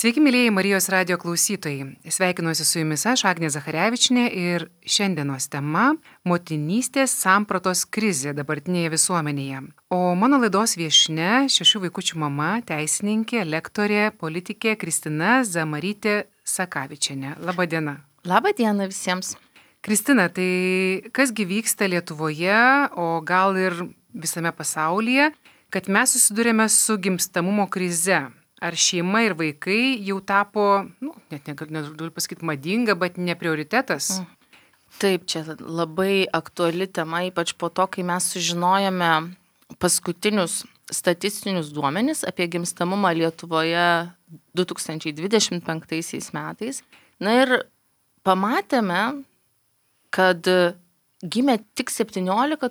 Sveiki, mėlyjeji Marijos radio klausytojai. Sveikinuosi su jumis aš, Agnė Zacharevičinė, ir šiandienos tema – motinystės sampratos krizė dabartinėje visuomenėje. O mano laidos viešnia, 6 vaikučių mama, teisininkė, lektorė, politikė Kristina Zamarytė Sakavičienė. Labą dieną. Labą dieną visiems. Kristina, tai kasgi vyksta Lietuvoje, o gal ir visame pasaulyje, kad mes susidurėme su gimstamumo krize? Ar šeima ir vaikai jau tapo, net negaliu pasakyti madinga, bet ne prioritetas? Taip, čia labai aktuali tema, ypač po to, kai mes sužinojome paskutinius statistinius duomenis apie gimstamumą Lietuvoje 2025 metais. Na ir pamatėme, kad gimė tik 17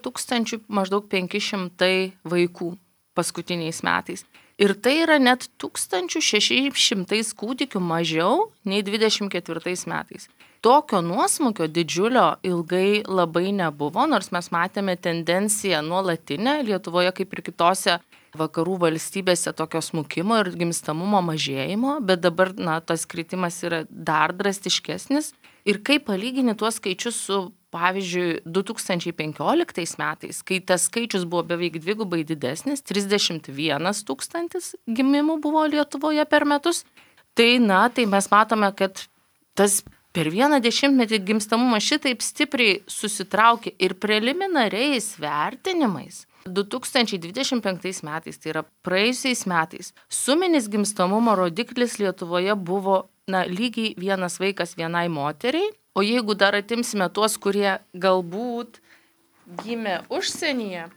500 vaikų paskutiniais metais. Ir tai yra net 1600 kūdikių mažiau nei 24 metais. Tokio nuosmukio didžiulio ilgai labai nebuvo, nors mes matėme tendenciją nuolatinę Lietuvoje kaip ir kitose vakarų valstybėse tokio smukimo ir gimstamumo mažėjimo, bet dabar tas kritimas yra dar drastiškesnis. Ir kai palygini tuos skaičius su, pavyzdžiui, 2015 metais, kai tas skaičius buvo beveik dvigubai didesnis, 31 000 gimimų buvo Lietuvoje per metus, tai mes matome, kad tas per vieną dešimtmetį gimstamumas šitaip stipriai susitraukė ir preliminariais vertinimais. 2025 metais, tai yra praėjusiais metais, suminis gimstamumo rodiklis Lietuvoje buvo lygiai 1 vaikas 1 moteriai, o jeigu dar atimsime tuos, kurie galbūt gimė užsienyje,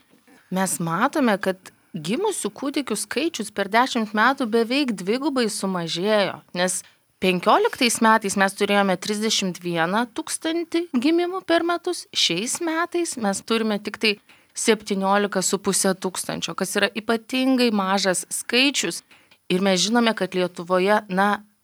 mes matome, kad gimusių kūdikių skaičius per 10 metų beveik dvigubai sumažėjo, nes 15 metais mes turėjome 31 000 gimimų per metus, šiais metais mes turime tik tai 17 500, kas yra ypatingai mažas skaičius. Ir mes žinome, kad Lietuvoje,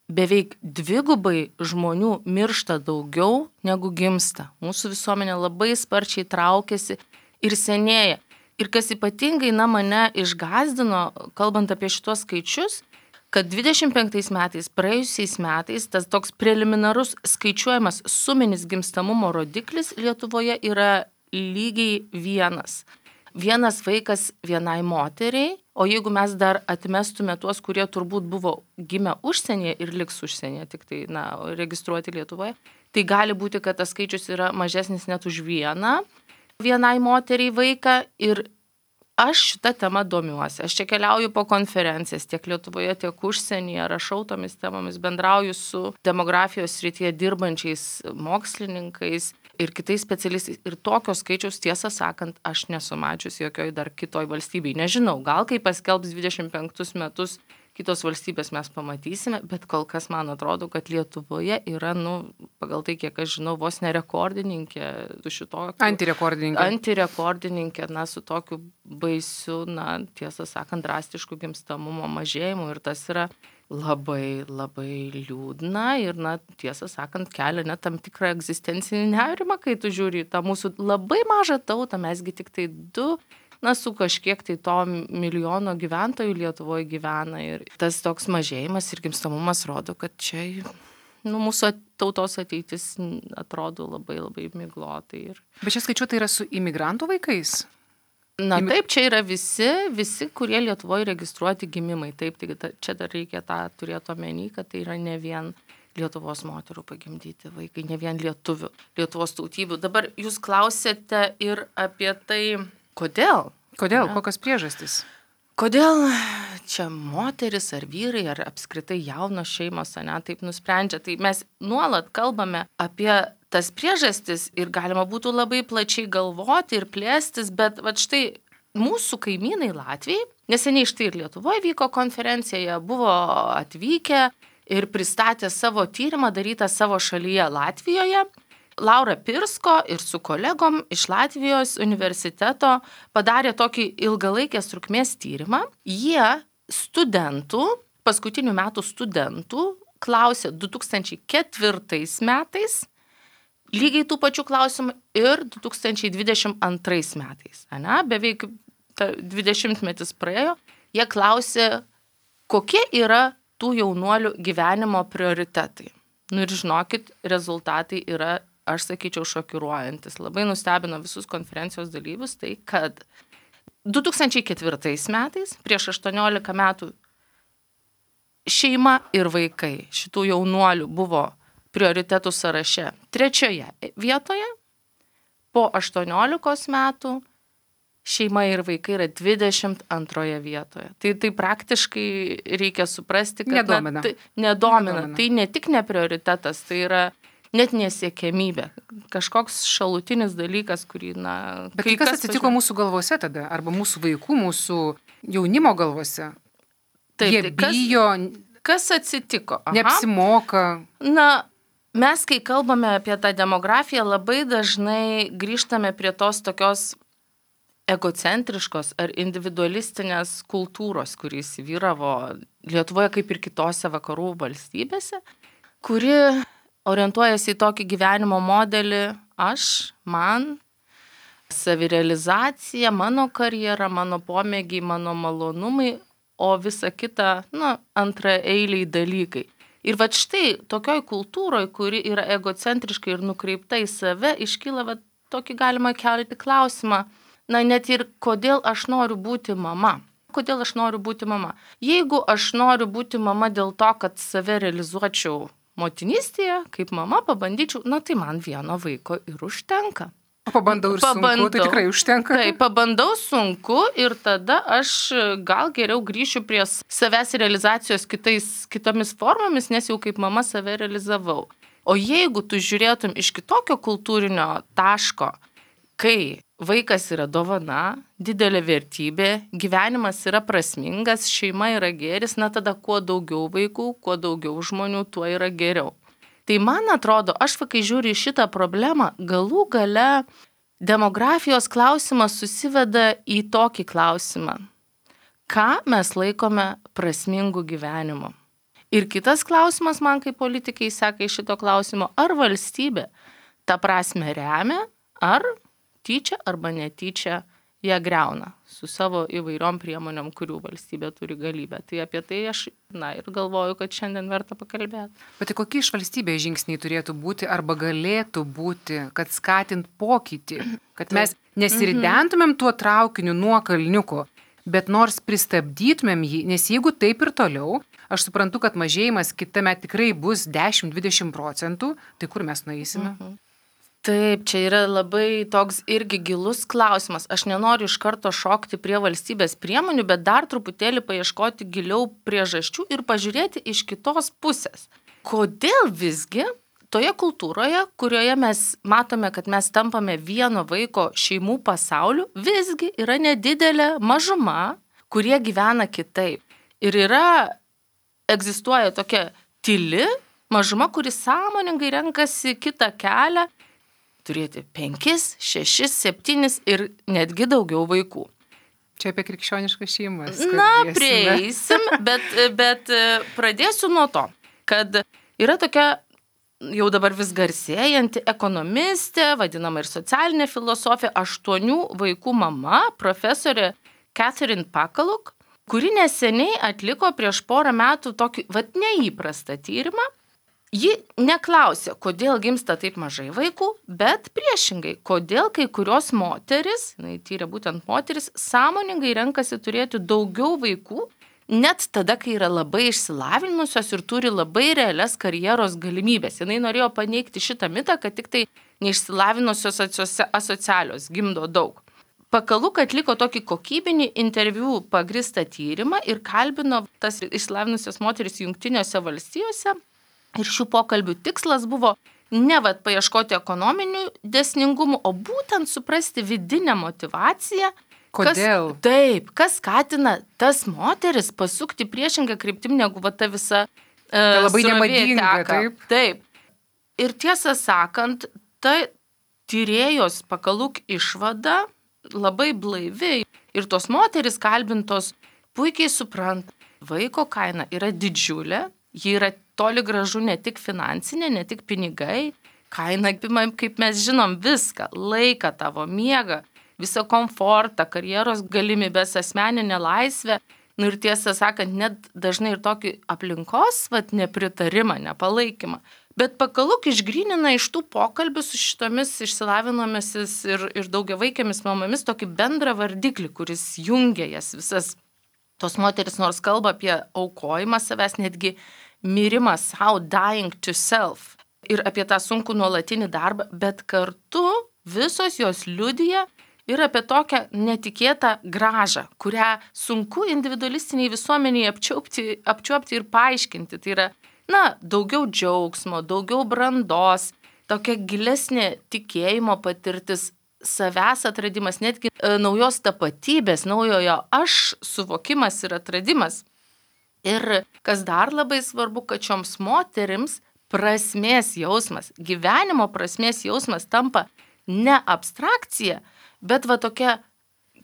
beveik dvigubai žmonių miršta daugiau negu gimsta. Mūsų visuomenė labai sparčiai traukiasi ir senėja. Ir kas ypatingai mane išgąsdino, kalbant apie šitos skaičius, kad 25 metais, praėjusiais metais, tas toks preliminarus skaičiuojamas suminis gimstamumo rodiklis Lietuvoje yra lygiai 1. 1 vaikas 1 moteriai, o jeigu mes dar atmestume tuos, kurie turbūt buvo gimę užsienyje ir liks užsienyje, tik tai registruoti Lietuvoje, tai gali būti, kad tas skaičius yra mažesnis net už 1 moteriai vaiką. Ir aš šitą temą domiuosi. Aš čia keliauju po konferencijas tiek Lietuvoje, tiek užsienyje, rašau tomis temomis, bendrauju su demografijos srityje dirbančiais mokslininkais ir kitais specialistais. Ir tokio skaičiaus, tiesą sakant, aš nesu mačiusi jokioj dar kitoj valstybei. Nežinau, gal kai paskelbs 25 metus kitos valstybės mes pamatysime, bet kol kas man atrodo, kad Lietuvoje yra, pagal tai, kiek aš žinau, vos ne rekordininkė su šitokiu. Antirekordininkė, su tokiu baisiu, tiesą sakant, drastišku gimstamumo mažėjimu. Ir tas yra labai, labai liūdna ir, tiesą sakant, kelia net tam tikrą egzistencinį nerimą, kai tu žiūri tą mūsų labai mažą tautą, mesgi tik tai 2, su kažkiek tai to milijono gyventojų Lietuvoje gyvena. Ir tas toks mažėjimas ir gimstamumas rodo, kad čia mūsų tautos ateitis atrodo labai, labai miglotai. Bet čia skaičiuota yra su imigrantų vaikais? Taip, čia yra visi, kurie Lietuvoje registruoti gimimai. Taip, tai čia dar reikia tą turėti omeny, kad tai yra ne vien Lietuvos moterų pagimdyti vaikai, ne vien lietuvių, Lietuvos tautybių. Dabar jūs klausėte ir apie tai, kodėl? Kokios priežastys? Kodėl čia moteris ar vyrai, ar apskritai jaunos šeimos, taip nusprendžia? Tai mes nuolat kalbame apie tas priežastis ir galima būtų labai plačiai galvoti ir plėstis, bet štai mūsų kaimynai Latvijai, neseniai štai ir Lietuvoje vyko konferencija, jie buvo atvykę ir pristatė savo tyrimą darytą savo šalyje Latvijoje. Laura Pirsko ir su kolegom iš Latvijos universiteto padarė tokį ilgalaikės trukmės tyrimą. Jie paskutinių metų studentų klausė 2004 metais lygiai tų pačių klausimų ir 2022 metais. Beveik 20 metus praėjo. Jie klausė, kokie yra tų jaunuolių gyvenimo prioritetai. Nu ir žinokit, rezultatai yra, aš sakyčiau, šokiruojantis. Labai nustebino visus konferencijos dalyvius tai, kad 2004 metais, prieš 18 metų, šeima ir vaikai šitų jaunuolių buvo prioritetų sąraše 3 vietoje, po 18 metų šeima ir vaikai yra 22 vietoje. Tai praktiškai reikia suprasti, kad nedomina. Nedomina. Tai ne tik ne prioritetas, tai yra net nesiekiamybė. Kažkoks šalutinis dalykas, kurį, Bet kas atsitiko mūsų galvose tada? Arba mūsų vaikų, mūsų jaunimo galvose? Taip, Jie bijo, kas atsitiko? neapsimoka. Mes, kai kalbame apie tą demografiją, labai dažnai grįžtame prie tos tokios egocentriškos ar individualistinės kultūros, kuris vyravo Lietuvoje kaip ir kitose vakarų valstybėse, kuri orientuojasi į tokį gyvenimo modelį man, savirealizacija, mano karjera, mano pomėgiai, mano malonumai, o visa kita, antraeiliai dalykai. Ir štai tokioj kultūroje, kuri yra egocentriška ir nukreipta į save, iškyla tokį galima kelti klausimą, net ir kodėl aš noriu būti mama. Kodėl aš noriu būti mama? Jeigu aš noriu būti mama dėl to, kad save realizuočiau motinystėje, kaip mama pabandyčiau, tai man vieno vaiko ir užtenka. Pabandau ir sunku, tai tikrai užtenka. Taip, pabandau sunku ir tada aš gal geriau grįšiu prie savęs realizacijos kitomis formomis, nes jau kaip mama save realizavau. O jeigu tu žiūrėtum iš kitokio kultūrinio taško, kai vaikas yra dovana, didelė vertybė, gyvenimas yra prasmingas, šeima yra gėris, tada kuo daugiau vaikų, kuo daugiau žmonių, tuo yra geriau. Tai man atrodo, aš kai žiūriu į šitą problemą, galų gale demografijos klausimas susiveda į tokį klausimą. Ką mes laikome prasmingu gyvenimu? Ir kitas klausimas man kaip politikai seka iš šito klausimo, ar valstybė tą prasme remia, ar tyčia arba netyčia ją greuna su savo įvairiom priemonėm, kurių valstybė turi galybę. Tai apie tai aš ir galvoju, kad šiandien verta pakalbėti. Bet kokie iš valstybės žingsniai turėtų būti arba galėtų būti, kad skatint pokytį, kad mes nesiridentumėm tuo traukiniu nuo kalniuko, bet nors pristabdytumėm jį, nes jeigu taip ir toliau, aš suprantu, kad mažėjimas kitame tikrai bus 10-20%, tai kur mes nueisime? Taip, čia yra labai toks irgi gilus klausimas. Aš nenoriu iš karto šokti prie valstybės priemonių, bet dar truputėlį paieškoti giliau priežasčių ir pažiūrėti iš kitos pusės. Kodėl visgi toje kultūroje, kurioje mes matome, kad mes tampame vieno vaiko šeimų pasauliu, visgi yra nedidelė mažuma, kurie gyvena kitaip. Ir egzistuoja tokia tyli mažuma, kuri sąmoningai renkasi kitą kelią, turėti 5, 6, 7 ir netgi daugiau vaikų. Čia apie krikščioniškas šeimas. Prieisim, bet pradėsiu nuo to, kad yra tokia jau dabar vis garsėjanti ekonomistė, vadinama ir socialinė filosofė, 8 vaikų mama, profesorė Catherine Pakaluk, kuri neseniai atliko prieš porą metų tokį neįprastą tyrimą. Ji neklausė, kodėl gimsta taip mažai vaikų, bet priešingai, kodėl kai kurios moteris, tyrė būtent moteris, sąmoningai renkasi turėti daugiau vaikų, net tada, kai yra labai išsilavinusios ir turi labai realias karjeros galimybės. Jinai norėjo paneigti šitą mitą, kad tik tai neišsilavinusios asocialios gimdo daug. Pakaluk atliko tokį kokybinį interviu pagristą tyrimą ir kalbino tas išsilavinusios moteris Jungtinėse valstijose. Ir šių pokalbių tikslas buvo ne paieškoti ekonominių dėsningumų, o būtent suprasti vidinę motyvaciją. Kodėl? Kas skatina tas moteris pasukti priešingą kryptim negu ta visa labai nemadinga, taip. Ir tiesą sakant, ta tyrėjos Pakaluk išvada labai blaivi. Ir tos moteris kalbintos puikiai supranta, vaiko kaina yra didžiulė, ji yra toli gražu ne tik finansinė, ne tik pinigai, kaina apima, kaip mes žinom, viską, laiką tavo, miegą, visą komfortą, karjeros galimybės, asmeninę laisvę, Ir tiesą sakant, net dažnai ir tokį aplinkos nepritarimą, nepalaikymą. Bet Pakaluk išgrynina iš tų pokalbių su šitomis išsilavinomis ir daugiavaikėmis mamomis tokį bendrą vardiklį, kuris jungia jas visas. Tos moteris nors kalba apie aukojimą savęs, netgi mirimą savo, dying to self, ir apie tą sunkų nuolatinį darbą, bet kartu visos jos liudija ir apie tokią netikėtą grąžą, kurią sunku individualistiniai visuomeniai apčiuopti ir paaiškinti. Tai yra, daugiau džiaugsmo, daugiau brandos, tokia gilesnė tikėjimo patirtis, savęs atradimas, netgi naujos tapatybės, naujojo aš suvokimas ir atradimas. Ir kas dar labai svarbu, kad šioms moterims prasmės jausmas, gyvenimo prasmės jausmas tampa ne abstrakcija, bet tokia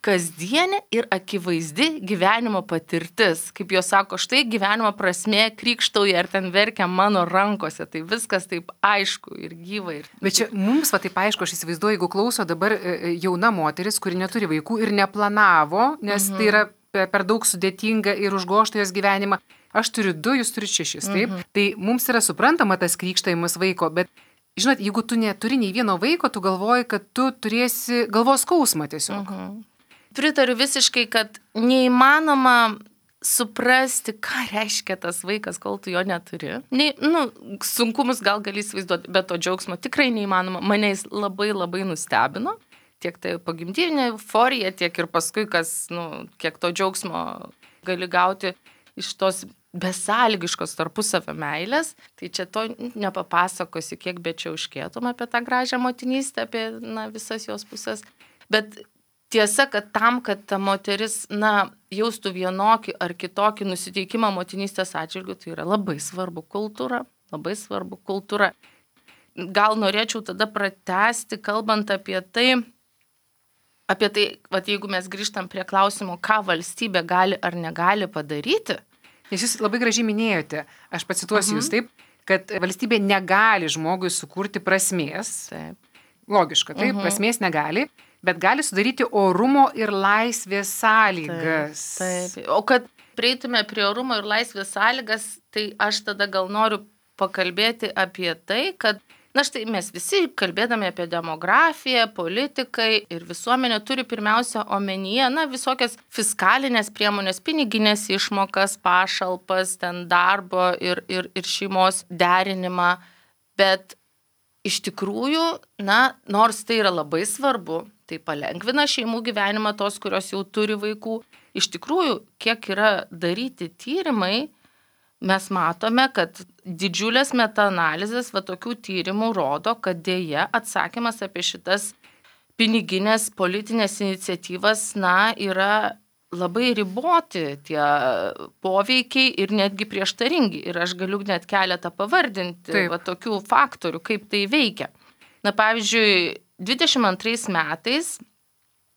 kasdienė ir akivaizdi gyvenimo patirtis. Kaip jos sako, štai gyvenimo prasmė krykštauja ir ten verkia mano rankose. Tai viskas taip aišku ir gyva. Bet čia mums taip aišku, aš įsivaizduoju, jeigu klauso dabar jauna moteris, kuri neturi vaikų ir neplanavo, nes tai yra per daug sudėtinga ir užgožta jos gyvenimą. Aš turiu 2, jūs turite 6, taip? Tai mums yra suprantama tas krykštavimas vaiko, bet žinot, jeigu tu neturi nei vieno vaiko, tu galvoji, kad tu turėsi galvos skausmą tiesiog. Pritariu visiškai, kad neįmanoma suprasti, ką reiškia tas vaikas, kol tu jo neturi. Sunkumus gal gali įsivaizduoti, bet to džiaugsmo tikrai neįmanoma. Mane jis labai labai nustebino. Tiek tai pogimdyvinė euforija, tiek ir paskui, kiek to džiaugsmo gali gauti iš tos besąlygiškos tarpusavio meilės. Tai čia to nepapasakosi, kiek bečiauškėtum apie tą gražią motinystę, apie visas jos pusės. Bet tiesa, kad tam, kad ta moteris, jaustų vienokį ar kitokį nusiteikimą motinystės atžvilgiu, tai yra labai svarbu kultūra, labai svarbu kultūra. Gal norėčiau tada pratęsti, kalbant apie tai, jeigu mes grįžtam prie klausimo, ką valstybė gali ar negali padaryti. Nes jūs labai gražiai minėjote, aš pacituosiu jūs taip, kad valstybė negali žmogui sukurti prasmės. Taip. Logiška, taip, prasmės negali, bet gali sudaryti orumo ir laisvės sąlygas. Taip. O kad prieitume prie orumo ir laisvės sąlygas, tai aš tada gal noriu pakalbėti apie tai, kad štai mes visi kalbėdami apie demografiją, politikai ir visuomenė turi pirmiausia omenyje, visokias fiskalinės priemonės, piniginės išmokas, pašalpas, ten darbo ir šeimos derinimą. Bet iš tikrųjų, nors tai yra labai svarbu, tai palengvina šeimų gyvenimą tos, kurios jau turi vaikų. Iš tikrųjų, kiek yra daryti tyrimai, mes matome, kad didžiulės metaanalizės tokių tyrimų rodo, kad dėja atsakymas apie šitas piniginės politinės iniciatyvas, yra labai riboti tie poveikiai ir netgi prieštaringi. Ir aš galiu net keletą pavardinti tokių faktorių, kaip tai veikia. Pavyzdžiui, 22 metais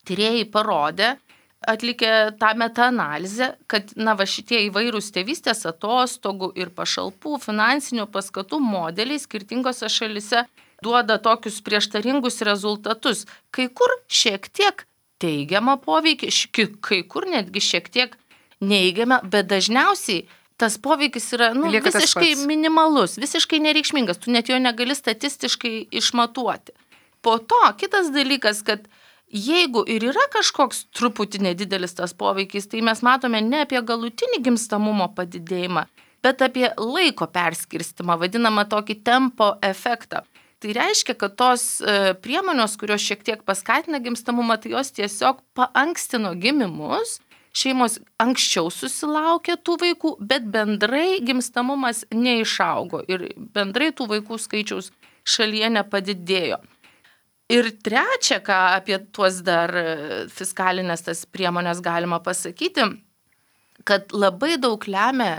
tyrėjai parodė, atlikę tą metaanalizę, kad šitie įvairūs tėvystės atostogų ir pašalpų finansinių paskatų modeliai skirtingose šalise duoda tokius prieštaringus rezultatus. Kai kur šiek tiek teigiamą poveikį, kai kur netgi šiek tiek neigiamą, bet dažniausiai tas poveikis yra visiškai minimalus, visiškai nereikšmingas, tu net jo negali statistiškai išmatuoti. Po to kitas dalykas, kad jeigu ir yra kažkoks truputį nedidelis tas poveikis, tai mes matome ne apie galutinį gimstamumo padidėjimą, bet apie laiko perskirstimą, vadinamą tokį tempo efektą. Tai reiškia, kad tos priemonės, kurios šiek tiek paskatina gimstamumą, tai jos tiesiog paankstino gimimus, šeimos anksčiau susilaukė tų vaikų, bet bendrai gimstamumas neišaugo ir bendrai tų vaikų skaičiaus šalyje nepadidėjo. Ir trečia, ką apie tuos dar fiskalinės tas priemonės galima pasakyti, kad labai daug lemia,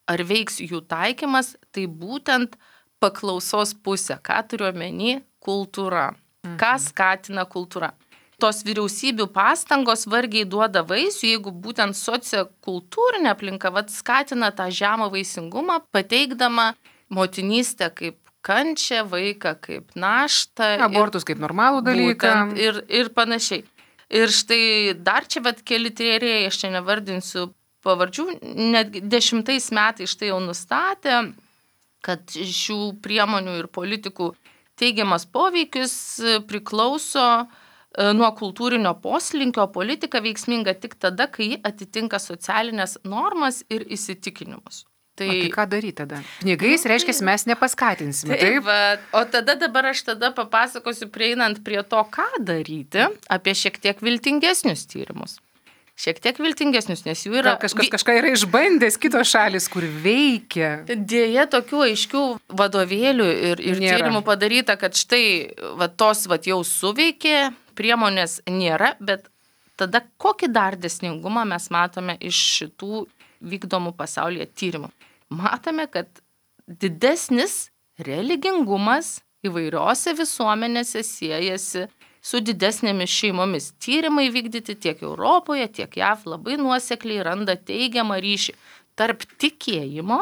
ar veiks jų taikymas, tai būtent paklausos pusė. Ką turiu omeny? Kultūra. Ką skatina kultūra? Tos vyriausybių pastangos vargiai duoda vaisių, jeigu būtent sociokultūrinė aplinka skatina tą žemą vaisingumą, pateikdama motinystę kaip kančią, vaiką kaip naštą. Abortus kaip normalų dalyką. Ir panašiai. Ir štai dar čia keli tyrėjai, aš čia nevardinsiu pavardžių, netgi 10 metais štai jau nustatė, kad šių priemonių ir politikų teigiamas poveikis priklauso nuo kultūrinio poslinkio, politika veiksminga tik tada, kai ji atitinka socialinės normas ir įsitikinimus. Tai ką daryti tada? Pinigais reiškia, mes nepaskatinsime, taip? O dabar aš papasakosiu, prieinant prie to, ką daryti, apie šiek tiek viltingesnius tyrimus. Šiek tiek viltingesnius, nes jų yra... Kažką yra išbandęs kitos šalis, kur veikia. Dėja, tokių aiškių vadovėlių ir tyrimų padaryta, kad štai tos jau suveikė, priemonės nėra, bet tada kokį dar dėsningumą mes matome iš šitų vykdomų pasaulyje tyrimų. Matome, kad didesnis religingumas įvairiose visuomenėse siejasi su didesnėmis šeimomis. Tyrimai vykdyti tiek Europoje, tiek JAV labai nuosekliai randa teigiamą ryšį tarp tikėjimo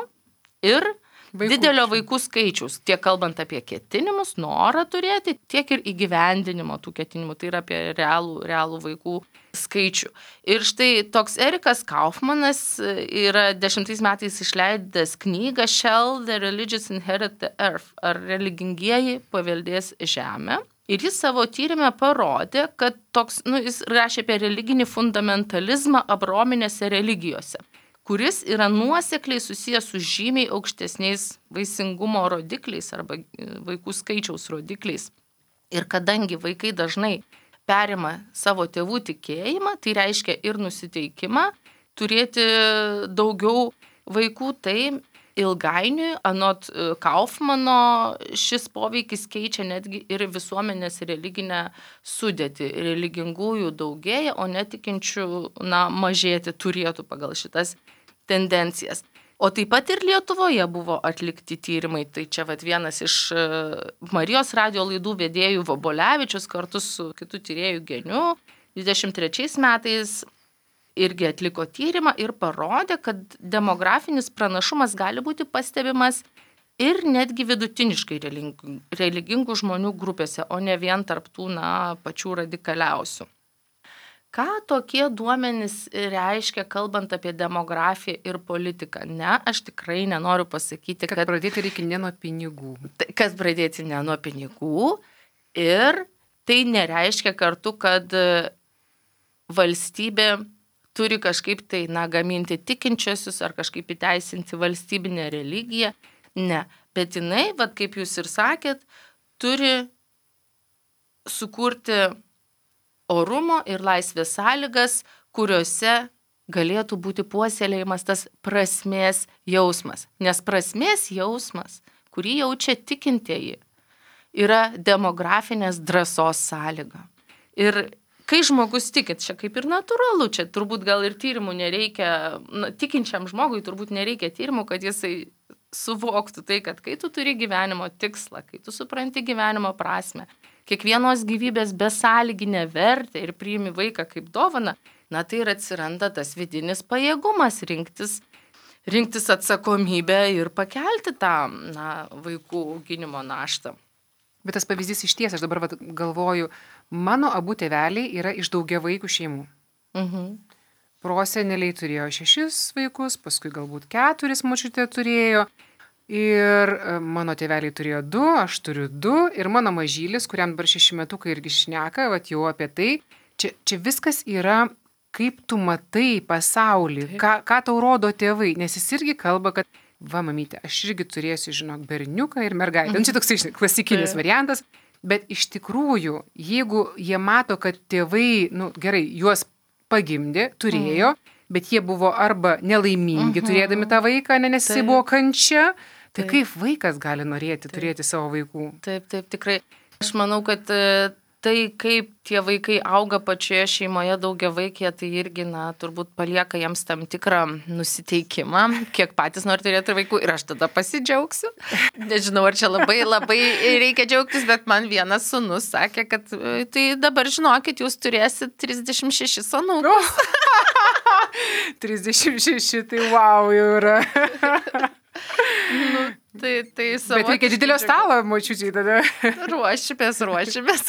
ir didelio vaikų skaičiaus, tiek kalbant apie ketinimus, norą turėti, tiek ir įgyvendinimo tų ketinimų, tai yra apie realų vaikų skaičių. Ir štai toks Erikas Kaufmanas yra 10 metais išleidęs knygą Shall the Religious Inherit the Earth, ar religingieji paveldės žemę. Ir jis savo tyrime parodė, kad jis rašė apie religinį fundamentalizmą abrominėse religijose, kuris yra nuosekliai susijęs su žymiai aukštesniais vaisingumo rodikliais arba vaikų skaičiaus rodikliais. Ir kadangi vaikai dažnai perima savo tėvų tikėjimą, tai reiškia ir nusiteikimą turėti daugiau vaikų, tai ilgainiui, anot Kaufmano, šis poveikis keičia netgi ir visuomenės religinę sudėtį. Religingųjų daugėja, o netikinčių mažėti turėtų pagal šitas tendencijas. O taip pat ir Lietuvoje buvo atlikti tyrimai. Tai čia vienas iš Marijos radijo laidų vedėjų Vobolevičius kartu su kitu tyrėju Geniu 23 metais irgi atliko tyrimą ir parodė, kad demografinis pranašumas gali būti pastebimas ir netgi vidutiniškai religingų žmonių grupėse, o ne vien tarp tų pačių radikaliausių. Ką tokie duomenys reiškia, kalbant apie demografiją ir politiką? Ne, aš tikrai nenoriu pasakyti, kad pradėti reikia ne nuo pinigų. Kad pradėti ne nuo pinigų ir tai nereiškia kartu, kad valstybė turi kažkaip tai, gaminti tikinčiosius ar kažkaip įteisinti valstybinę religiją. Ne, bet jinai, kaip jūs ir sakėt, turi sukurti orumo ir laisvės sąlygas, kuriuose galėtų būti puoselėjimas tas prasmės jausmas. Nes prasmės jausmas, kurį jaučia tikintieji, yra demografinės drąsos sąlyga. Ir kai žmogus tikit, čia kaip ir natūralu, čia turbūt gal ir tyrimų nereikia, tikinčiam žmogui turbūt nereikia tyrimų, kad jisai suvoktų tai, kad kai tu turi gyvenimo tikslą, kai tu supranti gyvenimo prasmę, kiekvienos gyvybės besąlyginę vertę ir priimi vaiką kaip dovaną, tai ir atsiranda tas vidinis pajėgumas rinktis atsakomybę ir pakelti tą vaikų auginimo naštą. Bet tas pavyzdys iš ties, aš dabar galvoju, mano abu tėveliai yra iš daugiavaikių šeimų. Proseneliai turėjo 6 vaikus, paskui galbūt 4 močiutė turėjo. Ir mano tėveliai turėjo 2, aš turiu 2 ir mano mažylis, kuriam dabar 6 metukai irgi šneka, jau apie tai. Čia viskas yra, kaip tu matai pasaulį, ką tau rodo tėvai, nes jis irgi kalba, kad mamytė, aš irgi turėsiu, berniuką ir mergaitę. Čia toks klasikinis variantas, bet iš tikrųjų, jeigu jie mato, kad tėvai, gerai, juos pagimdė, turėjo, bet jie buvo arba nelaimingi turėdami tą vaiką, nes jisai buvo kančia, tai kaip vaikas gali norėti turėti savo vaikų? Taip, tikrai. Aš manau, kad tai, kaip tie vaikai auga pačioje šeimoje daugiavaikėje, tai irgi, turbūt palieka jiems tam tikrą nusiteikimą, kiek patys nori turėti vaikų ir aš tada pasidžiaugsiu. Nežinau, ar čia labai reikia džiaugtis, bet man vienas sūnus sakė, kad tai dabar žinokit, jūs turėsit 36 anūkus. 36, tai wow, jau yra. Tai savo. Bet reikia didelio stalo, močiučiai tada. Ruošimės.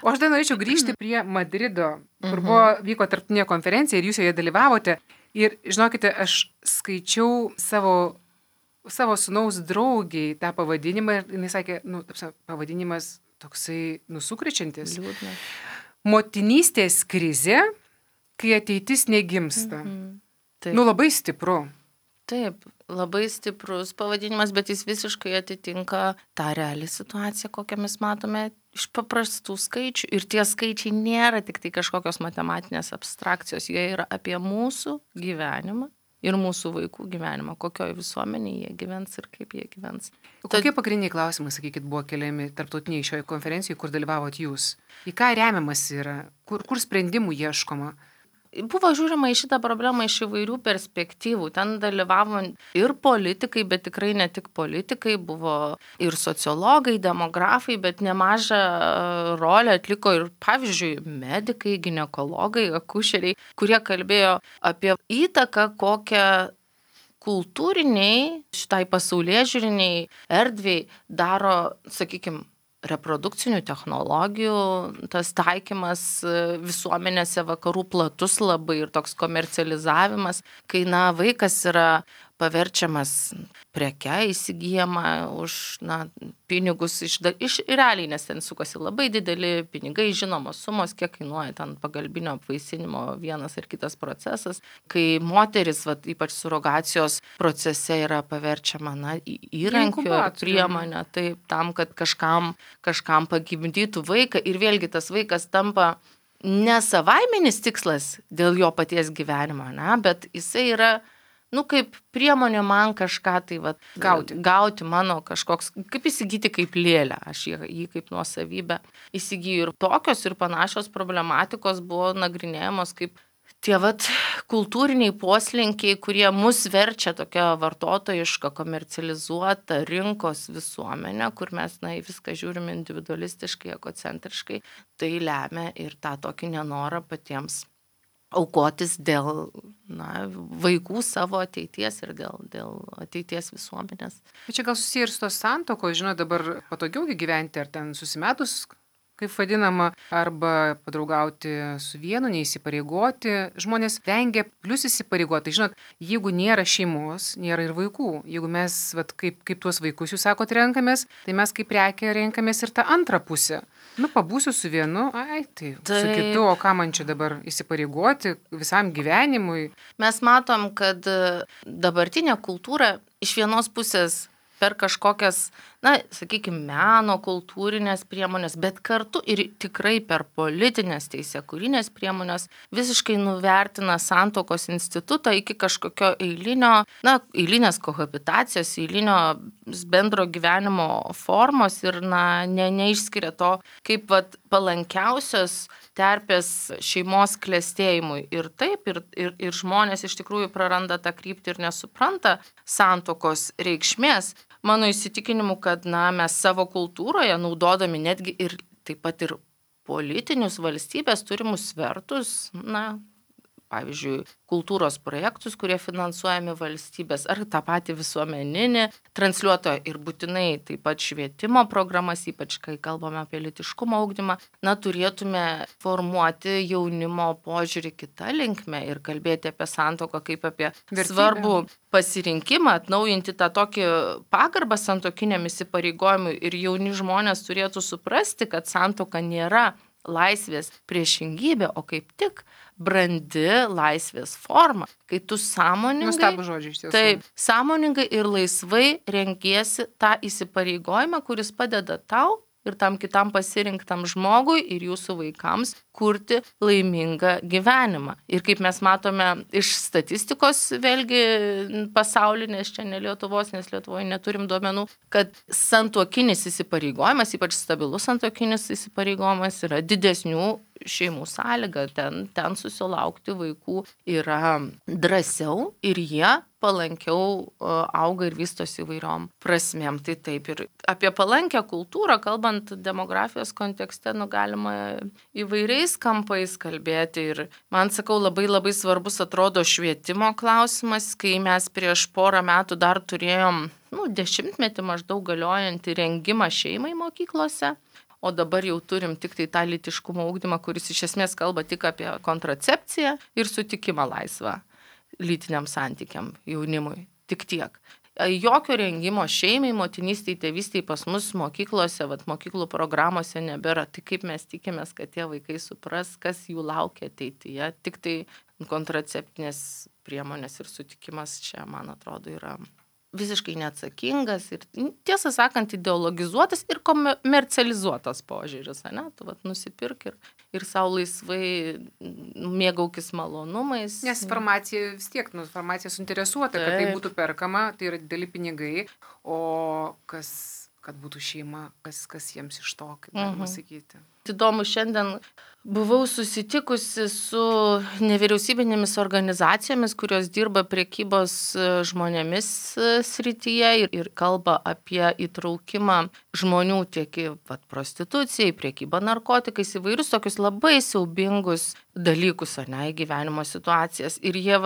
O aš dar norėčiau grįžti prie Madrido, kur vyko tarptautinė konferencija ir jūs joje dalyvavote. Ir žinokite, aš skaičiau savo sūnaus draugiai tą pavadinimą ir jinai sakė, pavadinimas toksai nusukrečiantis. Liūdna. Motinystės krizė, kai ateitis negimsta. Taip. Labai stipru. Taip, labai stiprus pavadinimas, bet jis visiškai atitinka tą realią situaciją, kokią mes matome iš paprastų skaičių. Ir tie skaičiai nėra tik tai kažkokios matematinės abstrakcijos, jie yra apie mūsų gyvenimą ir mūsų vaikų gyvenimą, kokioje visuomenėje jie gyvens ir kaip jie gyvens. Kokie pagrindiniai klausimai, sakykit, buvo keliami tarptautiniai šioje konferencijoje, kur dalyvavot jūs? Į ką remiamas yra? Kur sprendimų ieškoma? Buvo žiūrima į šitą problemą iš įvairių perspektyvų. Ten dalyvavo ir politikai, bet tikrai ne tik politikai, buvo ir sociologai, demografai, bet nemažą rolę atliko ir, pavyzdžiui, medikai, ginekologai, akušeriai, kurie kalbėjo apie įtaką, kokią kultūriniai, šitai pasaulėžiūriniai erdvei daro, sakykime, reprodukcinių technologijų, tas taikymas visuomenėse vakarų platus labai ir toks komercializavimas, kai vaikas yra paverčiamas preke įsigyjama už pinigus iš realiai, nes ten sukasi labai dideli pinigai, žinomos sumos, kiek kainuoja ten pagalbinio apvaisinimo vienas ar kitas procesas, kai moteris, ypač surogacijos procese yra paverčiama įrankiu ar priemonę, taip, tam, kad kažkam pagimdytų vaiką ir vėlgi tas vaikas tampa ne savaiminis tikslas dėl jo paties gyvenimo, bet jisai yra kaip priemonė man kažką tai gauti mano kažkoks, kaip įsigyti kaip lėlę, aš jį kaip nuosavybę įsigyju. Ir tokios ir panašios problematikos buvo nagrinėjamos kaip tie kultūriniai poslinkiai, kurie mus verčia tokia vartotojiška, komercializuota rinkos visuomenė, kur mes viską žiūrim individualistiškai, egocentriškai, tai lemia ir tą tokį nenorą patiems aukotis dėl vaikų savo ateities ir dėl ateities visuomenės. Bet čia gal susiję ir su tos santuokos, dabar patogiau gyventi, ar ten susimetus, kaip vadinama, arba padraugauti su vienu, neįsipareigoti. Žmonės vengia plius įsipareigoti. Jeigu nėra šeimos, nėra ir vaikų. Jeigu mes, kaip tuos vaikus jūs sakot, renkamės, tai mes kaip prekę renkamės ir tą antrą pusę. Pabūsiu su vienu, tai su kitu, o ką man čia dabar įsipareigoti visam gyvenimui. Mes matom, kad dabartinė kultūra iš vienos pusės per kažkokias, sakykime, meno, kultūrinės priemonės, bet kartu ir tikrai per politinės teisėkūrinės priemonės visiškai nuvertina santuokos institutą iki kažkokio eilinės kohabitacijos, eilinio bendro gyvenimo formos ir neišskiria to kaip palankiausios terpės šeimos klestėjimui. Ir taip, ir žmonės iš tikrųjų praranda tą kryptį ir nesupranta santuokos reikšmės. Mano įsitikinimu, kad mes savo kultūroje naudodami netgi ir taip pat ir politinius valstybės turimus svertus, pavyzdžiui, kultūros projektus, kurie finansuojami valstybės, ar tą patį visuomeninį transliuotoją ir būtinai taip pat švietimo programas, ypač kai kalbame apie lytiškumo ugdymą, turėtume formuoti jaunimo požiūrį kitą linkmę ir kalbėti apie santuoką kaip apie svarbų pasirinkimą, atnaujinti tą tokį pagarbą santuokiniam įsipareigojimui ir jauni žmonės turėtų suprasti, kad santuoka nėra laisvės priešingybė, o kaip tik brandi laisvės forma, kai tu sąmoningai, nuostabų žodžiai iš tiesų. Taip, sąmoningai ir laisvai renkiesi tą įsipareigojimą, kuris padeda tau ir tam kitam pasirinktam žmogui ir jūsų vaikams kurti laimingą gyvenimą. Ir kaip mes matome iš statistikos, vėlgi pasaulinės, čia ne Lietuvos, nes Lietuvoje neturim duomenų, kad santuokinis įsipareigojimas, ypač stabilus santuokinis įsipareigojimas yra didesnių šeimų sąlyga, ten susilaukti vaikų yra drąsiau ir jie palankiau auga ir vystosi įvairiom prasmėm. Tai taip, ir apie palankę kultūrą, kalbant demografijos kontekste, galima įvairiais kampais kalbėti. Ir man, sakau, labai svarbus atrodo švietimo klausimas, kai mes prieš porą metų dar turėjom 10 maždaug galiojantį rengimą šeimai mokyklose. O dabar jau turim tik tai tą lytiškumo ugdymą, kuris iš esmės kalba tik apie kontracepciją ir sutikimą laisvą. lytiniam santykiam jaunimui. Tik tiek. Jokio rengimo šeimai, motinystei, tėvystei pas mus mokyklose, mokyklų programuose nebėra. Tai kaip mes tikimės, kad tie vaikai supras, kas jų laukia ateityje. Tik tai kontraceptinės priemonės ir sutikimas čia, man atrodo, yra visiškai neatsakingas ir, tiesą sakant, ideologizuotas ir komercializuotas požiūris. Tu nusipirk ir savo laisvai mėgaukis malonumais. Nes farmacija vis tiek, farmacija suinteresuota, kad tai būtų perkama, tai yra dideli pinigai, o kad būtų šeima, kas jiems iš to, kaip galima sakyti. Įdomu, šiandien buvau susitikusi su nevyriausybinėmis organizacijomis, kurios dirba prekybos žmonėmis srityje ir kalba apie įtraukimą žmonių tiek į prostituciją, į prekybą narkotikais, įvairius tokius labai siaubingus dalykus, į gyvenimo situacijas. Ir jie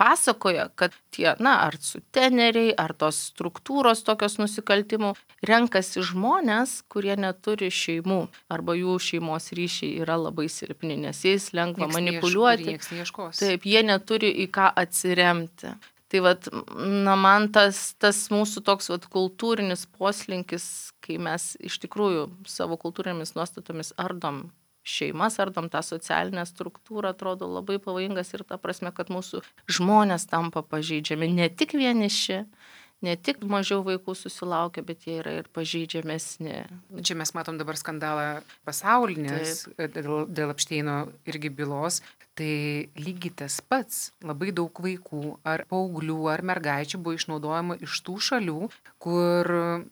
pasakoja, kad tie, ar suteneriai, ar tos struktūros tokios nusikaltimų renkasi žmonės, kurie neturi šeimų, arba jų šeimos ryšiai yra labai silpni, nes jais lengva manipuliuoti. Taip, jie neturi į ką atsiremti. Tai man tas mūsų toks kultūrinis poslinkis, kai mes iš tikrųjų savo kultūrinėmis nuostatomis ardom šeimas, ardom tą socialinę struktūrą, atrodo labai pavojingas ir ta prasme, kad mūsų žmonės tampa pažeidžiami, ne tik vieniši, ne tik mažiau vaikų susilaukia, bet jie yra ir pažeidžiamesni. Čia mes matom dabar skandalą pasaulinės dėl Epšteino irgi bylos. Tai lygiai tas pats, labai daug vaikų ar paauglių ar mergaičių buvo išnaudojama iš tų šalių, kur,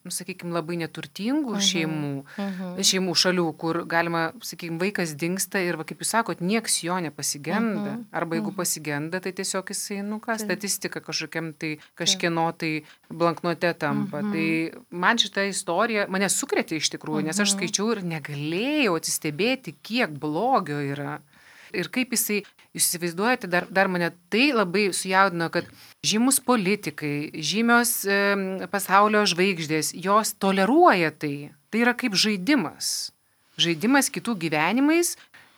sakykime, labai neturtingų šeimų šalių, kur galima, sakykime, vaikas dingsta ir, kaip jūs sakot, nieks jo nepasigenda. Arba jeigu pasigenda, tai tiesiog jisai, statistika kažkokiam tai kažkieno tai blanknote tampa. Tai man šita istorija mane sukrėtė iš tikrųjų, nes aš skaičiau ir negalėjau atsistebėti, kiek blogio yra. Ir kaip jisai, jūs įsivaizduojate, dar mane tai labai sujaudino, kad žymus politikai, žymios pasaulio žvaigždės, jos toleruoja tai. Tai yra kaip žaidimas. Žaidimas kitų gyvenimais.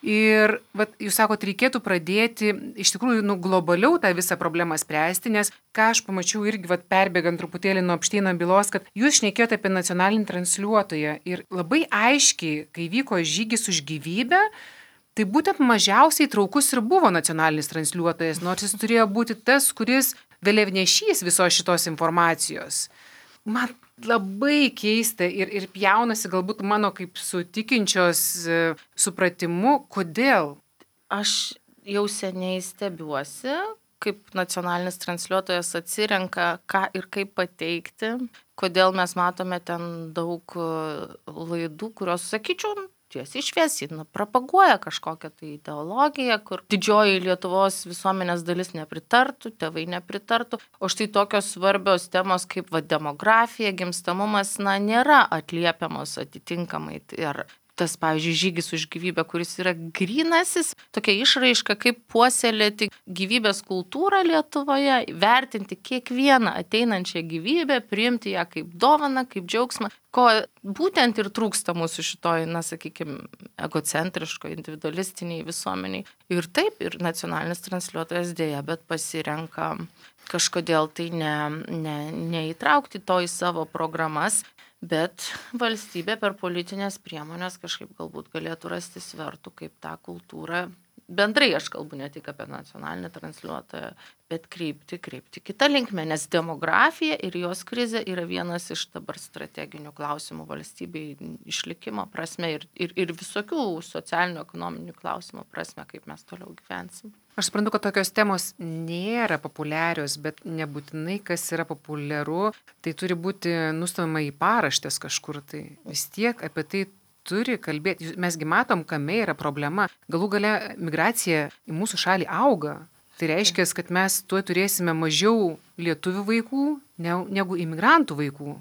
Ir jūs sakot, reikėtų pradėti iš tikrųjų globaliau tą visą problemą spręsti, nes ką aš pamačiau irgi perbėgant truputėlį nuo Epšteino bylos, kad jūs šnekėjote apie nacionalinį transliuotoją ir labai aiškiai, kai vyko žygis už gyvybę, tai būtent mažiausiai traukus ir buvo nacionalinis transliuotojas, nors jis turėjo būti tas, kuris vėliavnešys visos šitos informacijos. Man labai keista ir pjaunasi galbūt mano kaip sutikinčios supratimu, kodėl. Aš jau seniai stebiuosi, kaip nacionalinis transliuotojas atsirenka, ką ir kaip pateikti, kodėl mes matome ten daug laidų, kurios, sakyčiau, tiesiai šviesiai, propaguoja kažkokią tai ideologiją, kur didžioji Lietuvos visuomenės dalis nepritartų, tėvai nepritartų, o štai tokios svarbios temos kaip demografija, gimstamumas, nėra atliepiamos atitinkamai. Ir tas, pavyzdžiui, žygis už gyvybę, kuris yra grynasis, tokia išraiška, kaip puoselėti gyvybės kultūrą Lietuvoje, vertinti kiekvieną ateinančią gyvybę, priimti ją kaip dovaną, kaip džiaugsmą, ko būtent ir trūksta mūsų šitoj, sakykime, egocentriško, individualistiniai visuomeniai. Ir taip, ir nacionalinis transliuotojas dėja, bet pasirenka kažkodėl tai neįtraukti to į savo programas. Bet valstybė per politinės priemonės kažkaip galbūt galėtų rasti svertų, kaip tą kultūrą, bendrai aš kalbu ne tik apie nacionalinį transliuotoją, bet kreipti kitą linkmę, nes demografija ir jos krizė yra vienas iš dabar strateginių klausimų valstybei išlikimo prasme ir visokių socialinių, ekonominių klausimų prasme, kaip mes toliau gyvensim. Aš suprantu, kad tokios temos nėra populiarios, bet nebūtinai, kas yra populiaru, tai turi būti nustumama į paraštės kažkur. Tai vis tiek apie tai turi kalbėti. Mesgi matom, kame yra problema. Galų gale migracija į mūsų šalį auga. Tai reiškia, kad mes tuo turėsime mažiau lietuvių vaikų negu imigrantų vaikų.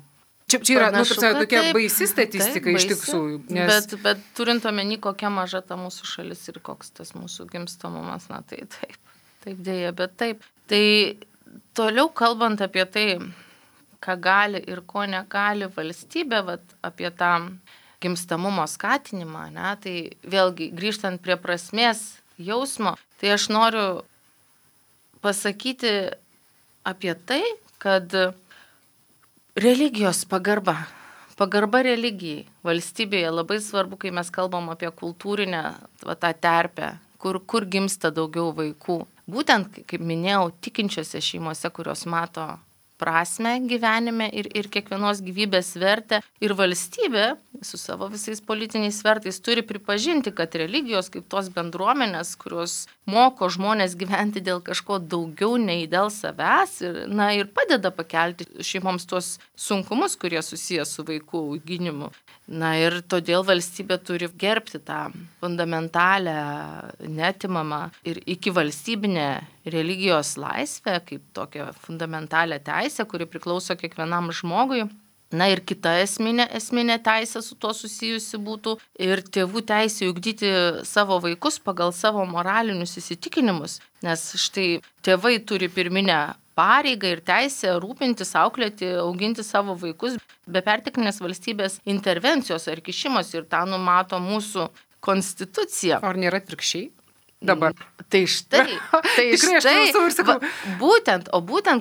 Čia yra tokia baisi statistika iš tikrųjų. Bet turint omeny, kokia maža ta mūsų šalis ir koks tas mūsų gimstamumas, tai taip dėja, bet taip. Tai toliau kalbant apie tai, ką gali ir ko negali valstybė, apie tą gimstamumo skatinimą, tai vėlgi grįžtant prie prasmės jausmo, tai aš noriu pasakyti apie tai, kad religijos pagarba. Pagarba religijai valstybėje labai svarbu, kai mes kalbam apie kultūrinę tą terpę, kur gimsta daugiau vaikų. Būtent, kaip minėjau, tikinčiose šeimose, kurios mato prasme gyvenime ir kiekvienos gyvybės vertę. Ir valstybė su savo visais politiniais svertais turi pripažinti, kad religijos kaip tos bendruomenės, kurios moko žmonės gyventi dėl kažko daugiau nei dėl savęs ir padeda pakelti šeimoms tuos sunkumus, kurie susijęs su vaikų auginimu. Ir todėl valstybė turi gerbti tą fundamentalę, neatimamą ir iki valstybinę religijos laisvę, kaip tokią fundamentalę teisę, kuri priklauso kiekvienam žmogui. Ir kita esminė teisė su tuo susijusi būtų ir tėvų teisė ugdyti savo vaikus pagal savo moralinius įsitikinimus, nes štai tėvai turi pirminę pareigą ir teisę rūpintis, auklėti, auginti savo vaikus be perteklinės valstybės intervencijos ar kišimos ir tą numato mūsų konstitucija. Ar nėra atvirkščiai? Dabar. Tai štai, būtent,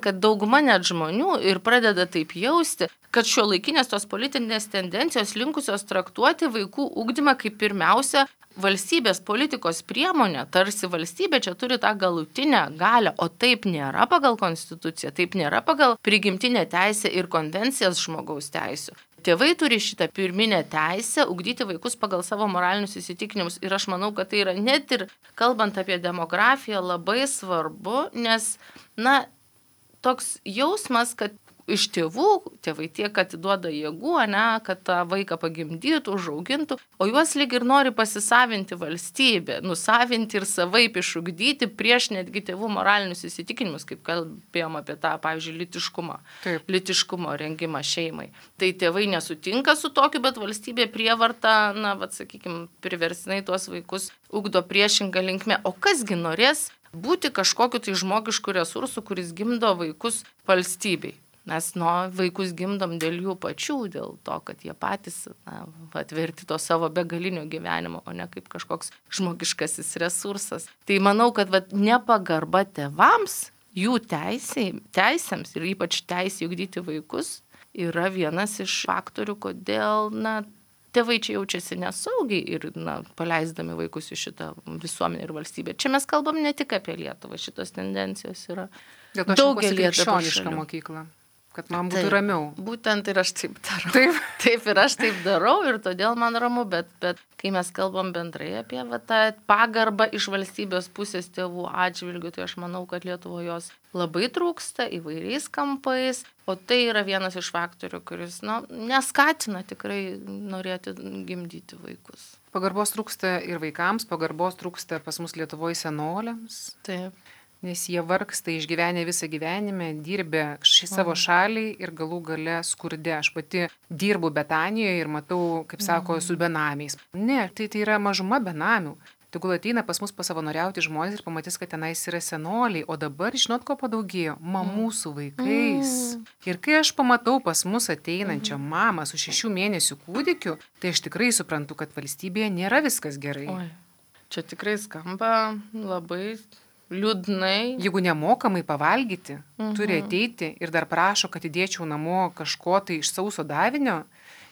kad dauguma net žmonių ir pradeda taip jausti, kad šiuolaikinės tos politinės tendencijos linkusios traktuoti vaikų ugdymą kaip pirmiausia valstybės politikos priemonė, tarsi valstybė čia turi tą galutinę galią, o taip nėra pagal konstituciją, taip nėra pagal prigimtinę teisę ir konvencijas žmogaus teisių. Tėvai turi šitą pirminę teisę ugdyti vaikus pagal savo moralinius įsitikinimus ir aš manau, kad tai yra net ir kalbant apie demografiją labai svarbu, nes, toks jausmas, kad iš tėvai tiek atiduoda jėgų, kad tą vaiką pagimdytų, užaugintų, o juos lyg ir nori pasisavinti valstybė, nusavinti ir savaip išugdyti prieš netgi tėvų moralinius įsitikinimus, kaip kalbėjom apie tą, pavyzdžiui, lytiškumo rengimą šeimai. Tai tėvai nesutinka su tokiu, bet valstybė prievarta, priverstinai tuos vaikus ugdo priešingą linkmę. O kasgi norės būti kažkokiu tai žmogišku resursu, kuris gimdo vaikus valstybei? Mes vaikus gimdom dėl jų pačių, dėl to, kad jie patys atverti to savo begalinio gyvenimo, o ne kaip kažkoks žmogiškasis resursas. Tai manau, kad nepagarba tėvams, jų teisėms ir ypač teisė ugdyti vaikus yra vienas iš faktorių, kodėl tėvai čia jaučiasi nesaugiai ir paleisdami vaikus į šitą visuomenę ir valstybę. Čia mes kalbam ne tik apie Lietuvą, šitos tendencijos yra daugelį krikščionišką mokyklą. Kad man būtų ramiau. Būtent ir aš taip darau. Taip ir aš taip darau ir todėl man ramu, bet kai mes kalbam bendrai apie tą pagarbą iš valstybės pusės tėvų atžvilgių, tai aš manau, kad Lietuvoje jos labai trūksta įvairiais kampais, o tai yra vienas iš faktorių, kuris neskatina tikrai norėti gimdyti vaikus. Pagarbos trūksta ir vaikams, pagarbos trūksta pas mus Lietuvoje senoliams. Taip. Nes jie vargsta išgyvenę visą gyvenimą, dirbę savo šaliai ir galų gale skurde. Aš pati dirbu Betanijoje ir matau, kaip sako, su benamiais. Ne, tai yra mažuma benamių. Tegul ateina pas mus pasavanoriauti žmonės ir pamatys, kad tenais yra senoliai. O dabar, žinot, ko padaugėjo? Mamų su vaikais. Ir kai aš pamatau pas mus ateinančią mamą su 6 mėnesių kūdikiu, tai aš tikrai suprantu, kad valstybėje nėra viskas gerai. Čia tikrai skamba labai liūdnai. Jeigu nemokamai pavalgyti, turi ateiti ir dar prašo, kad įdėčiau namo kažko tai iš sauso davinio.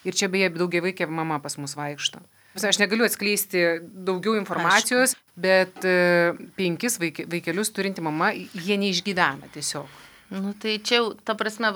Ir čia beje daugiavaikė mama pas mus vaikšto. Aš negaliu atskleisti daugiau informacijos, bet 5 vaikelius turinti mama, jie neišgyvena tiesiog. Tai čia jau, ta prasme,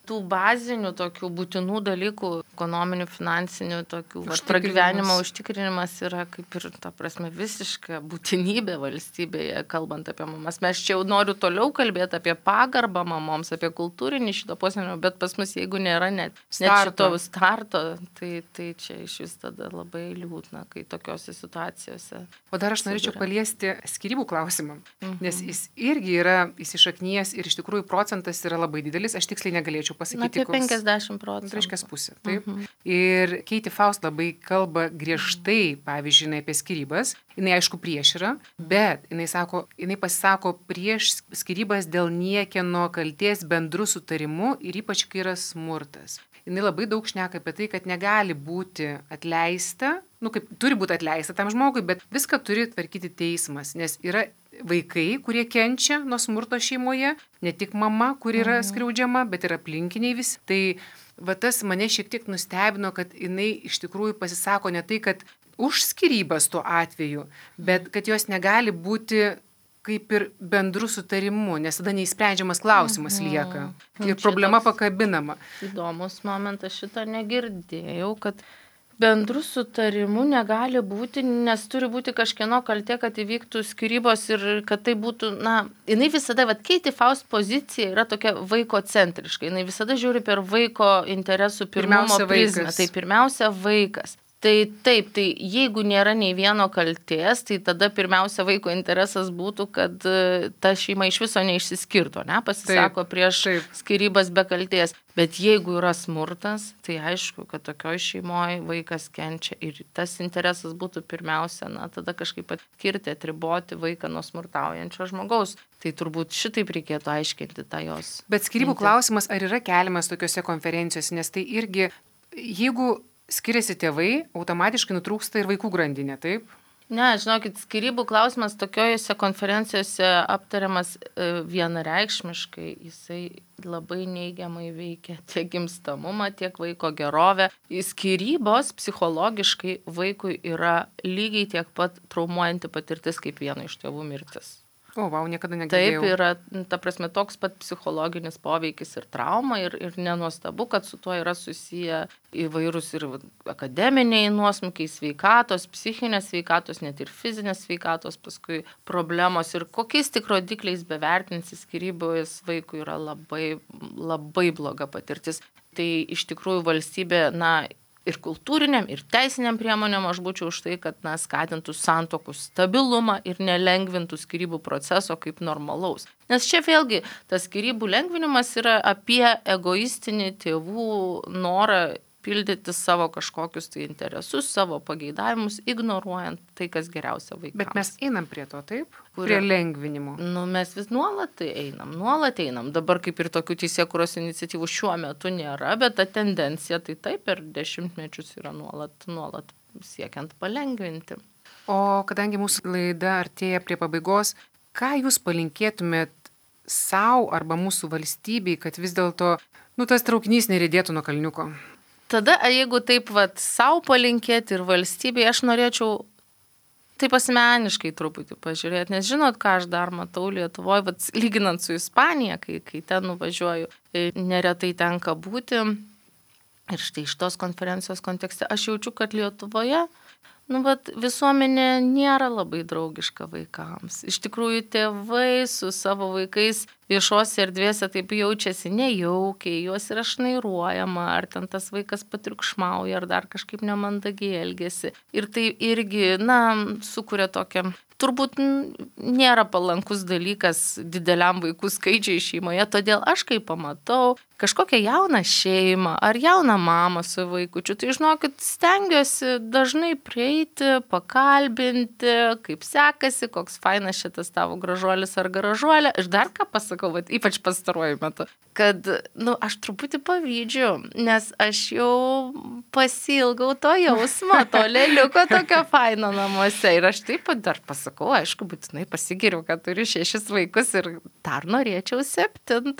tų bazinių tokių būtinų dalykų, ekonominių, finansinių, tokių pragyvenimo užtikrinimas yra kaip ir, ta prasme, visiška būtinybė valstybėje, kalbant apie mamas. Mes čia jau noriu toliau kalbėti apie pagarbą mamoms, apie kultūrinį šito puoselėjimą, bet pas mus, jeigu nėra net šito starto, tai čia iš vis tada labai liūdna, kai tokiose situacijose. O dar aš norėčiau paliesti skyrybų klausimą, nes jis irgi yra įsišaknijęs ir iš tikrųjų procentas yra labai didelis, aš tiksliai negalėčiau pasakyti. Apie 50%. Reiškia pusė, taip. Ir Katie Faust labai kalba griežtai, pavyzdžiui, apie skyrybas. Jinai aišku prieš yra, bet jinai pasisako prieš skyrybas dėl niekieno kaltės bendru sutarimu ir ypač kai yra smurtas. Jinai labai daug šneka apie tai, kad negali būti atleista, kaip turi būti atleista tam žmogui, bet viską turi tvarkyti teismas, nes yra vaikai, kurie kenčia nuo smurto šeimoje, ne tik mama, kuri yra skriaudžiama, bet ir aplinkiniai visi. Tai va tas mane šiek tiek nustebino, kad jinai iš tikrųjų pasisako ne tai, kad už skyrybas tuo atveju, bet kad jos negali būti kaip ir bendru sutarimu, nes tada neįsprendžiamas klausimas lieka ir problema pakabinama. Įdomus momentas, šitą negirdėjau, kad bendru sutarimu negali būti, nes turi būti kažkieno kaltė, kad įvyktų skyrybos ir kad tai būtų, jinai visada, Katie Faust pozicija yra tokia vaiko centriška, jinai visada žiūri per vaiko interesų pirmumo prizmę, tai pirmiausia vaikas. Tai taip, tai jeigu nėra nei vieno kaltės, tai tada pirmiausia vaiko interesas būtų, kad ta šeima iš viso neišsiskirtų, pasisako prieš skyrybas be kaltės. Bet jeigu yra smurtas, tai aišku, kad tokioj šeimoje vaikas kenčia ir tas interesas būtų pirmiausia, tada kažkaip atkirti, atriboti vaiką nuo smurtaujančio žmogaus. Tai turbūt šitaip reikėtų aiškinti tą jos. Bet skyrybų klausimas ar yra keliamas tokiuose konferencijose, nes tai irgi, jeigu skiriasi tėvai, automatiškai nutrūksta ir vaikų grandinė, taip? Ne, žinokit, skyrybų klausimas tokiojose konferencijose aptariamas vienareikšmiškai, jisai labai neigiamai veikia tiek gimstamumą, tiek vaiko gerovę. Skyrybos psichologiškai vaikui yra lygiai tiek pat traumuojanti patirtis kaip vieno iš tėvų mirtis. O, niekada negirdėjau. Taip, yra, ta prasme, toks pat psichologinis poveikis ir trauma ir nenuostabu, kad su tuo yra susiję įvairūs ir akademiniai nuosmukiai, sveikatos, psichinės sveikatos, net ir fizinės sveikatos, paskui problemos ir kokiais tik rodikliais bevertinsi skyrybos vaikui yra labai, labai bloga patirtis. Tai iš tikrųjų valstybė, ir kultūriniam, ir teisiniam priemonėm aš būčiau už tai, kad skatintų santuokų stabilumą ir nelengvintų skyrybų proceso kaip normalaus. Nes čia vėlgi tas skyrybų lengvinimas yra apie egoistinį tėvų norą pildyti savo kažkokius tai interesus, savo pageidavimus, ignoruojant tai, kas geriausia vaikams. Bet mes einam prie to, taip? Prie lengvinimo. Mes vis nuolat einam. Dabar kaip ir tokių teisėkūros iniciatyvų šiuo metu nėra, bet ta tendencija tai taip per dešimtmečius yra nuolat siekiant palengvinti. O kadangi mūsų laida artėja prie pabaigos, ką jūs palinkėtumėt savo arba mūsų valstybei, kad vis dėlto, tas traukinys neridėtų nuo kalniuko? Tada, jeigu taip savo palinkėti ir valstybei, aš norėčiau taip asmeniškai truputį pažiūrėti, nes žinot, ką aš dar matau Lietuvoje, lyginant su Ispanija, kai ten nuvažiuoju, neretai tenka būti. Ir štai iš tos konferencijos kontekste aš jaučiu, kad Lietuvoje visuomenė nėra labai draugiška vaikams. Iš tikrųjų, tėvai su savo vaikais viešose erdvėse taip jaučiasi nejaukiai, juos yra šnairuojama, ar ten tas vaikas patriukšmauja, ar dar kažkaip nemandagiai elgiasi. Ir tai irgi, sukuria tokią, turbūt nėra palankus dalykas dideliam vaikų skaičiai šeimoje, todėl aš kai pamatau kažkokią jauną šeimą ar jauną mamą su vaikučiu, tai žinokit, stengiuosi dažnai prieiti, pakalbinti, kaip sekasi, koks fainas šitas tavo gražuolis ar gražuolė. Ir dar ką pasakau, ypač pastaruoju metu, kad, aš truputį pavydžiu, nes aš jau pasilgau to jausmo, to lėliuko tokio faino namuose. Ir aš taip pat dar pasakau, aišku, būtinai pasigiriu, kad turiu 6 vaikus ir dar norėčiau 7.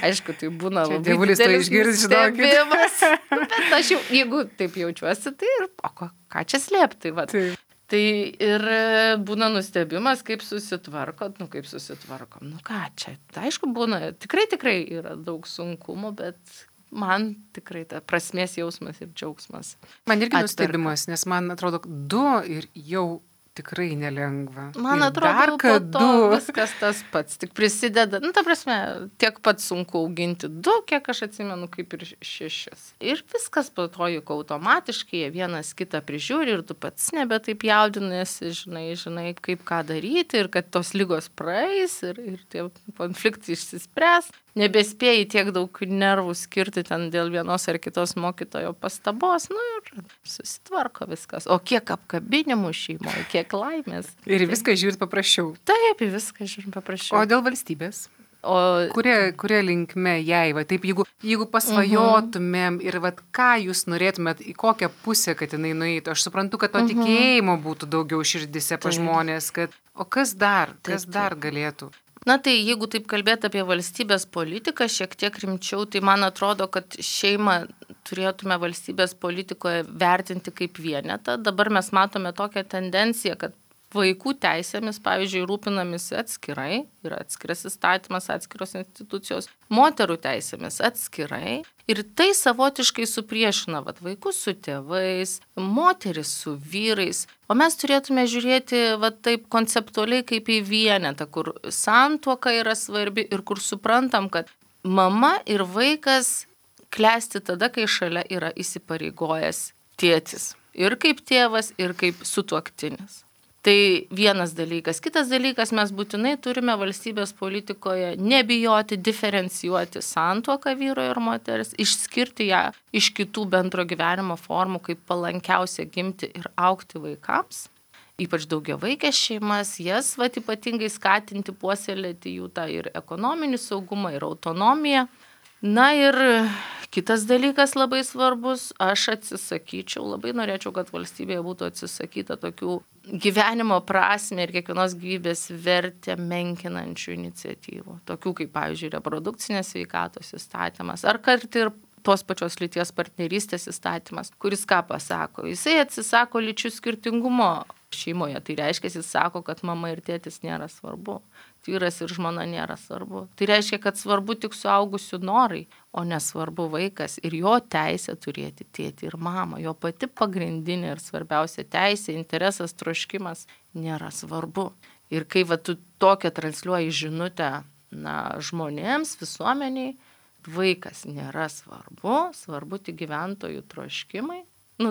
Aišku, tai būna labai dievulis to išgirs, nustebimas. Bet aš jau, jeigu taip jaučiuosi, tai ir ką čia slėpti, Tai ir būna nustebimas, kaip susitvarkot, kaip susitvarkom. Ką čia, aišku, būna, tikrai yra daug sunkumų, bet man tikrai ta prasmės jausmas ir džiaugsmas. Man irgi nustebimas, nes man atrodo 2 ir jau tikrai nelengva. Man atrodo, po to viskas tas pats, tik prisideda, ta prasme, tiek pat sunku auginti 2, kiek aš atsimenu, kaip ir 6. Ir viskas po to juk automatiškai, jie vienas kitą prižiūri ir tu pats nebe taip jaudinasi, žinai, kaip ką daryti ir kad tos ligos praeis ir tie konfliktai išsispręs. Nebespėjai tiek daug nervų skirti ten dėl vienos ar kitos mokytojo pastabos, ir susitvarko viskas. O kiek apkabinimų šeimoje, kiek laimės. Ir viską žiūrit paprasčiau. Taip, viską žiūrim paprasčiau. O dėl valstybės? O Kuria linkme jai, va, taip, jeigu pasvajotumėm ir va, ką jūs norėtumėt, į kokią pusę, kad jinai nueitų. Aš suprantu, kad to tikėjimo būtų daugiau širdise pa žmonės, o kas dar galėtų? Na tai jeigu taip kalbėti apie valstybės politiką šiek tiek rimčiau, tai man atrodo, kad šeimą turėtume valstybės politikoje vertinti kaip vienetą. Dabar mes matome tokią tendenciją, kad vaikų teisėmis, pavyzdžiui, rūpinamisi atskirai, yra atskiras įstatymas, atskiros institucijos, moterų teisėmis atskirai. Ir tai savotiškai supriešina vaikus su tėvais, moteris su vyrais. O mes turėtume žiūrėti taip konceptualiai kaip į vienetą, kur santuoka yra svarbi ir kur suprantam, kad mama ir vaikas klesti tada, kai šalia yra įsipareigojęs tėtis. Ir kaip tėvas, ir kaip sutuoktinis. Tai vienas dalykas. Kitas dalykas, mes būtinai turime valstybės politikoje nebijoti diferencijuoti santuoką vyro ir moters, išskirti ją iš kitų bendro gyvenimo formų, kaip palankiausia gimti ir augti vaikams. Ypač daugiavaikės šeimas, jas ypatingai skatinti, puoselėti jų tą ir ekonominį saugumą, ir autonomiją. Na ir kitas dalykas labai svarbus, aš atsisakyčiau, labai norėčiau, kad valstybėje būtų atsisakyta tokių gyvenimo prasmę ir kiekvienos gyvybės vertę menkinančių iniciatyvų. Tokių kaip, pavyzdžiui, reprodukcinės sveikatos įstatymas, ar kart ir tos pačios lyties partnerystės įstatymas, kuris ką pasako? Jisai atsisako lyčių skirtingumo šeimoje. Tai reiškia, jis sako, kad mama ir tėtis nėra svarbu. Vyras ir žmona nėra svarbu. Tai reiškia, kad svarbu tik suaugusių norai, o nesvarbu vaikas ir jo teisė turėti tėtį ir mamą. Jo pati pagrindinė ir svarbiausia teisė, interesas, troškimas nėra svarbu. Ir kai tu tokią transliuoji žinutę žmonėms, visuomeniai, vaikas nėra svarbu, svarbu tik gyventojų troškimai,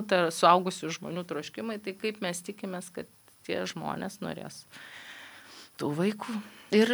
tai suaugusių žmonių troškimai, tai kaip mes tikimės, kad tie žmonės norės tų vaikų. Ir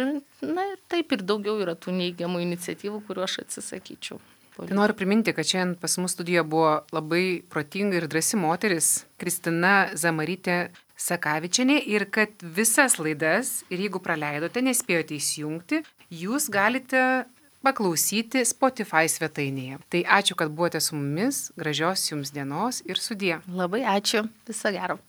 taip ir daugiau yra tų neigiamų iniciatyvų, kuriuo aš atsisakyčiau. Tai noriu priminti, kad šiandien pas mus studijoje buvo labai protinga ir drąsi moteris Kristina Zamarytė Sakavičienė ir kad visas laidas, ir jeigu praleidote, nespėjote įsijungti, jūs galite paklausyti Spotify svetainėje. Tai ačiū, kad buvote su mumis, gražios jums dienos ir sudie. Labai ačiū, viso gero.